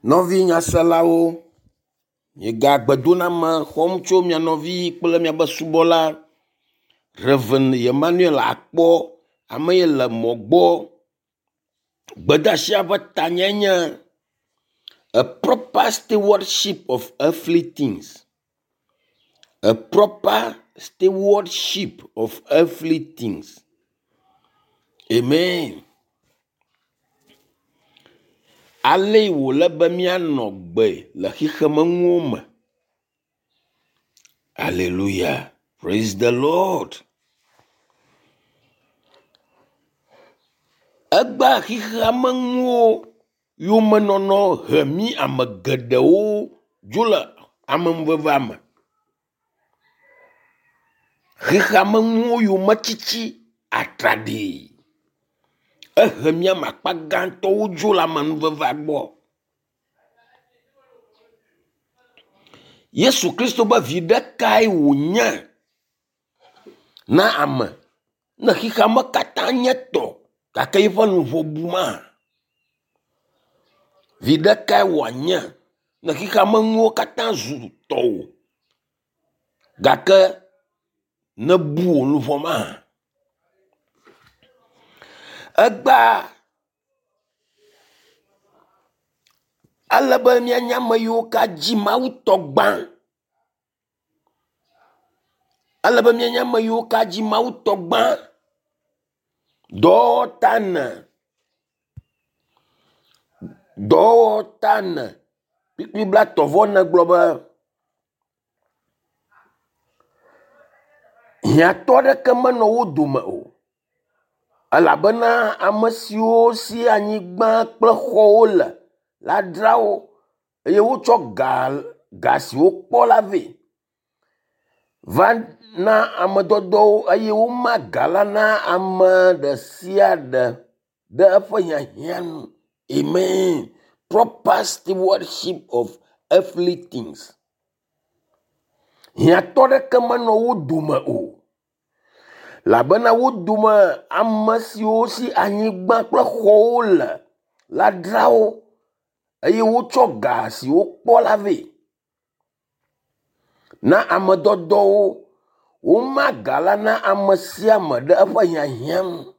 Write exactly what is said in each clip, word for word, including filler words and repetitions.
Nɔvi nyaselawo, miega gbedoname xɔm tso mia nɔvi kple miaƒe subɔla Rev. Emmanuel Akpɔ. Ame yi le mɔ gbɔ. Gbedeasia ƒe tanyae nye a proper stewardship of earthly things. A proper stewardship of earthly things. Amen. Ale wòle be míanɔ gbe le xexemenuwo me. Hallelujah. Praise the Lord. Egbea xexeamenuwo yomenɔnɔ he mí ame geɖewo dzo le amenuvevea me. Xexeamenuwo yometiti atraɖii ehe mí ame akpa gãtɔwo dzo le amenuvevea gbɔ. Yesu Kristo be viɖe kae wònye na ame ne xexeame katã nye tɔ gake eƒe luʋɔ bu ma? Viɖe kae wòanye ne xexeamenuwo katã zu tɔwò gake nebu wò luʋɔ ma? Egbea ele be míanye ame yiwo ka dzi Mawu tɔ gbã. Ele be míanye ame yiwo ka dzi Mawu tɔ gbã. Dɔwɔwɔ ta ene. Dɔwɔwɔ ta ene. Kpukpui blaetɔ̃ vɔ ene gblɔ be hiãtɔ aɖeke menɔ wo dome o elabena ame siwo si anyigba kple xɔwo le la dzra wo eye wotsɔ ga ga si wokpɔ la vɛ va na ame dɔdɔwo eye woma ga la na ame ɖe sia ɖe ɖe eƒe hiahiã nu. Amen. Proper stewardship of earthly things. Hiãtɔ ɖeke menɔ wo dome o. Elabena wo dome ame siwo si anyigba kple xɔwo le la dzra wo eye wotsɔ ga si wokpɔ la vɛ na ame dɔdɔwo. Woma ga la na ame sia ame ɖe eƒe hiahiã nu.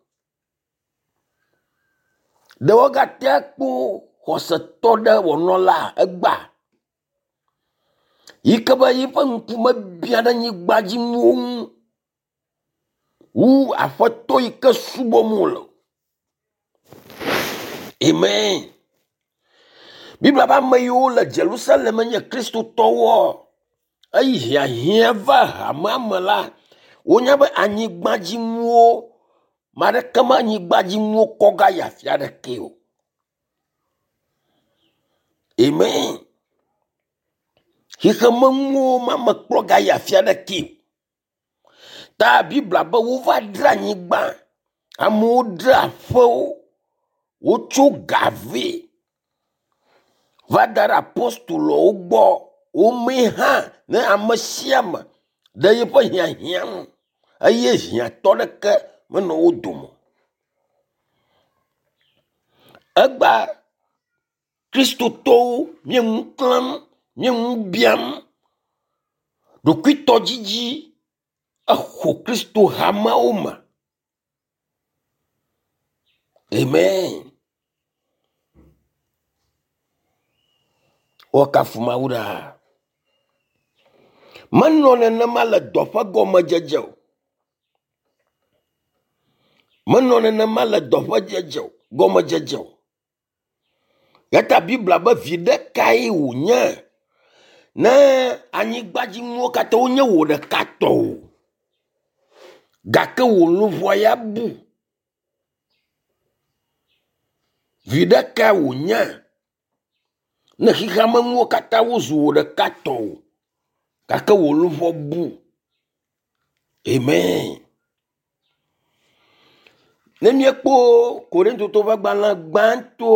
Ɖe wogate kpɔ xɔsetɔ ɖe wònɔ la egbea yi ke be yiƒe ŋkume biã ɖe anyigba dzi nuwo ŋu wu aƒetɔ yi ke subɔm wòle. Amen. Biblia be ame yiwo le Jerusalem nye kristotɔwoa, eyi hiahiã va hamea me la, wonya be anyigbadzinuwo ame aɖeke me anyigbadzinuwo kɔ ga yi afi aɖeke o. Amen. Xexemenuwo ma mekplɔ ga yi afi aɖeke o. Ta Biblia be wova dzra anyigba, amewo dzra aƒewo, wotso ga vɛ va da ɖe apostolowo gbɔ. Womee hã ne ame sia ame ɖe yeƒe hiahiã nu eye hiãtɔ ɖeke menɔ wo dome o. Egbea kristotɔwo mie nu klãm, mie nu biam. Ɖokuitɔdzidzi exo Kristo hameawo me. Amen. Woakafu Mawu ɖaa. Menɔ nenema le dɔ ƒe gɔmedzedze o. Menɔ nenema le dɔ ƒe dzedze o, gɔmedzedze o. Ya ta Biblia be viɖe kae wònye ne anyigbadzinuwo katã wonye wò ɖeka tɔ o gake wò luʋɔ ya bu. Viɖe kae wònye ne xexeamenuwo katã wozu wò ɖeka tɔ o gake wò luʋɔ bu. Amen. Ne míekpɔ Korintotɔwo ƒe agbalẽ gbãtɔ,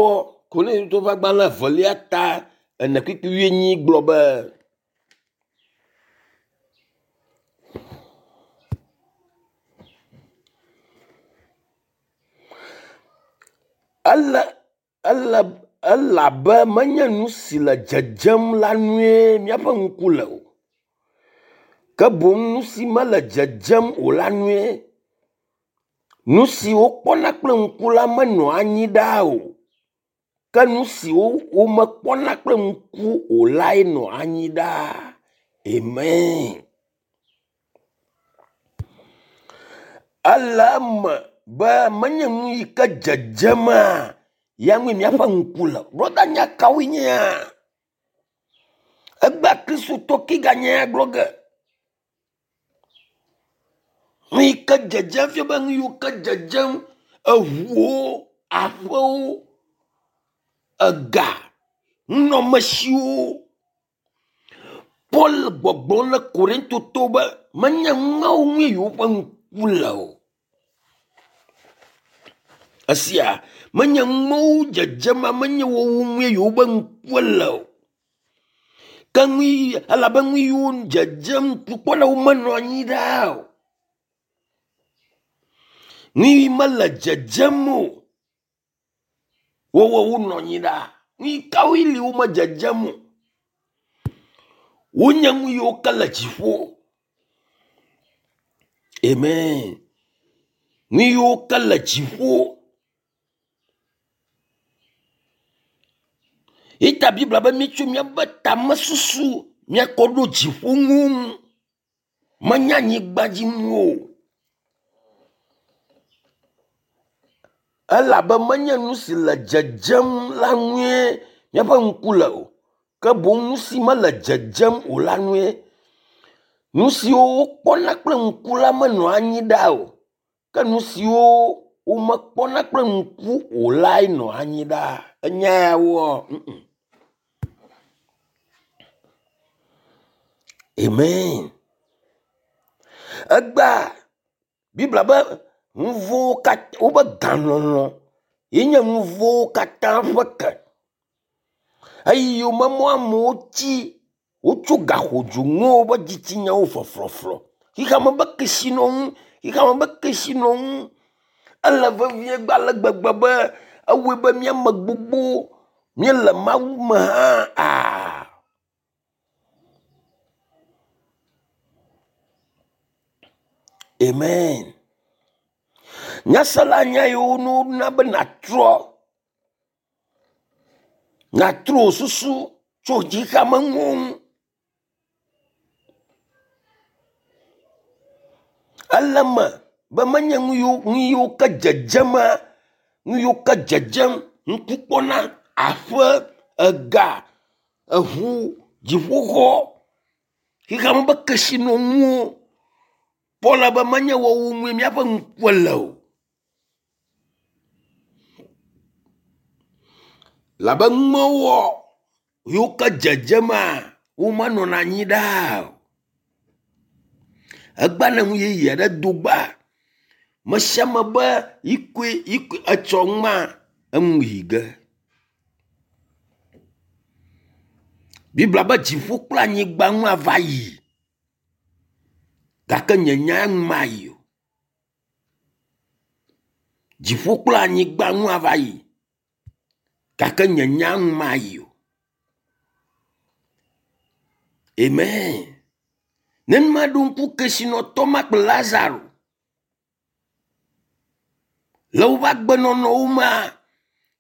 Korintotɔwo ƒe agbalẽ evelia ta ene kpukpui wuienyi gblɔ be ele ele Elabe menye nu si le dzedzem la nue míaƒe ŋku le o. Ke boŋ nu si mele dzedzem o la nue. Nu si wokpɔna kple ŋku la menɔa anyi ɖaa o. Ke nu si womekpɔna kple ŋku o lae nɔa anyi ɖaa. Amen. Ele eme be menye nu yi ke dzedzema ya ŋue míaƒe ŋku le. Brɔda nya kawoe nyea? Egbea Kristotɔ ke ganye ya gblɔ ge. Nu yi ke dzedzem fia be nu yiwo ke dzedzem, eʋuwo, aƒewo, ega, nunɔamesiwo. Paul gbɔgblɔm le Korintotɔwo be menye numawo ŋue yewoƒe ŋku le o. Esia menye numawo dzedzema menye wowo ŋue yewoƒe ŋku le o. Ke nu yi elabe nu yiwo dzedzem ŋku kpɔna womenɔ anyi ɖaa o. Nu yi mele dzedzem o. Wowo wonɔ anyi ɖaa. Nu yi kawoe li womedzedzem o. Wonye nu yiwo ke le dziƒo. Amen. Nu yiwo ke le dziƒo. Ita Biblia be míetso míaƒe tamesusu míakɔ ɖo dziƒo ŋu. Menye anyigba dzi ŋu o. Elabe menye nu si le dzedzem la ŋue míaƒe ŋku le o. Ke boŋ nu si mele dzedzem o la ŋue. Nu siwo wokpɔna kple ŋku la menɔa anyi ɖaa o. Ke nu siwo womekpɔna kple ŋku o lae nɔa anyi ɖaa. Enya ya woa? Amen. Egbea Biblia be nu vɔ̃wo katã wobe galɔlɔ̃ ye nye nu vɔ̃wo katã ƒe ke. Eyi yome mɔ amewo tsi wotso gaxodzo ŋuwo woƒe dzitsinyawo flɔflɔflɔ. Xexeame be kesinɔnu, xexeame be kesinɔnu ele vevie gba ale gbegbe be ewɔe be míame gbogbo míele Mawu me hã aa. Amen. Nyasela nya yiwo na be nàtrɔ nàtrɔ wò susu tso xexeame ŋu. Ele eme be menye nu yiwo nu yiwo ke dzedzema, nu yiwo ke dzedzem ŋku kpɔna, aƒe, ega, eʋu, dziƒoxɔ, xexeame be kesinɔnuwo. Paul be menye woawo ŋue míaƒe ŋku le o. Labe numewɔ yiwo ke dzedzema womenɔna anyi ɖaa o. Egbea ne nu yeye aɖe do gbea, me sia ame be yikoe yikoe etsɔ numa enu yi ge. Biblia be dziƒo kple anyigba nu ava yi. Gake nye nya nu mayi o. Dziƒo kple anyigba nu ava yi. Gake nye nya nu mayi o. Amen. Ne maɖo ŋku kesinɔtɔ ma kple Lazaro le woƒe agbenɔnɔwo mea,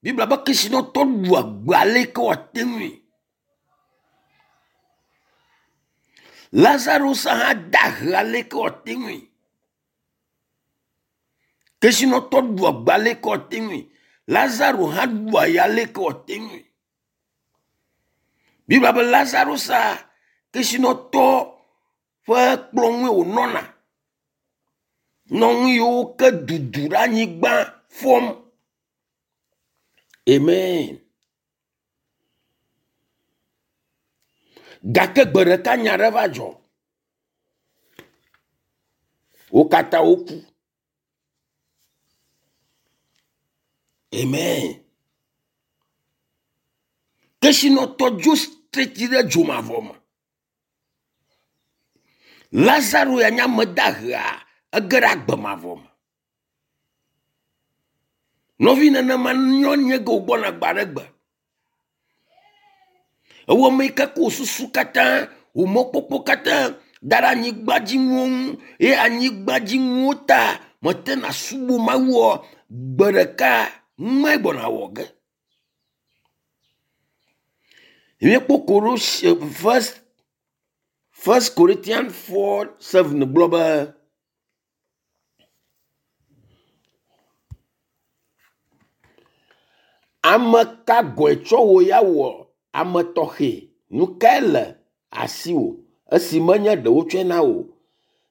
Biblia be kesinɔtɔ ɖu agbe ale yi ke wòate ŋui. Lazaro hã da he ale yi ke wòate ŋui. Kesinɔtɔ ɖu agbe ale yi ke wòate ŋui. Lazaro hã ɖu aya ale yi ke wòate ŋui. Biblia be Lazaro sa kesinɔtɔ ƒe kplɔ ŋue wònɔna. Nɔ nu yiwo ke dudu ɖe anyigba fɔm. Amen. Gake gbe ɖeka nya ɖe va dzɔ. Wo katã woku. Amen. Kesinɔtɔ dzo straight ɖe dzomavɔ me. Lazaro ya nye ame dahea ege ɖe agbe mavɔ me. Nɔvi nenema nyɔ nye ge wògbɔna gbe aɖe gbe. Ewɔ ame yi ke ko susu katã, wò mɔkpɔkpɔ katã da ɖe anyigbadzinuwo ŋu eye anyigbadzinuwo ta mete na subɔ Mawua, gbe ɖeka numae gbɔna wɔ ge. Míekpɔ Kolosi first First Corinthians four seven gblɔ be ame ka gɔe tsɔ wò ya wɔ ame tɔxɛ? Nu kae le asiwò esi menye ɖe wotsɔe na wò?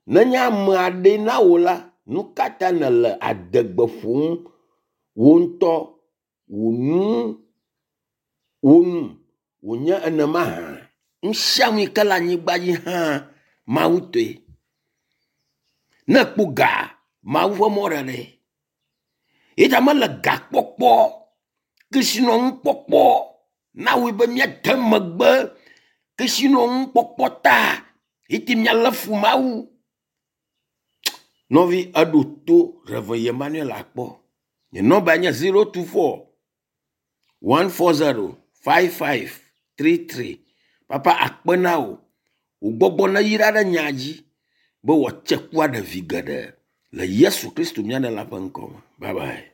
Nenye ame aɖee na wò la, nu ka ta nèle adegbe ƒom wò ŋutɔ wò nu wò nu wònye enema hã? Nu sia nu yi ke le anyigba dzi hã Mawu tɔe. Ne ekpɔ ga, Mawu ƒe mɔɖeɖe. Ye ta mele gakpɔkpɔ, kesinɔnukpɔkpɔ na wɔe be míade megbe kesinɔnukpɔkpɔ ta eye míalé fu Mawu. Nɔvi eɖo to Rev. Emmanuel akpɔ. Nye nɔmba nye zero two four one four zero five five three three. Papa akpe na wò. Wò gbɔgbɔ neyra ɖe nya dzi be wòatse ku aɖe vi geɖe le Yesu Kristo mía Ɖela ƒe ŋkɔ me. Bye bye.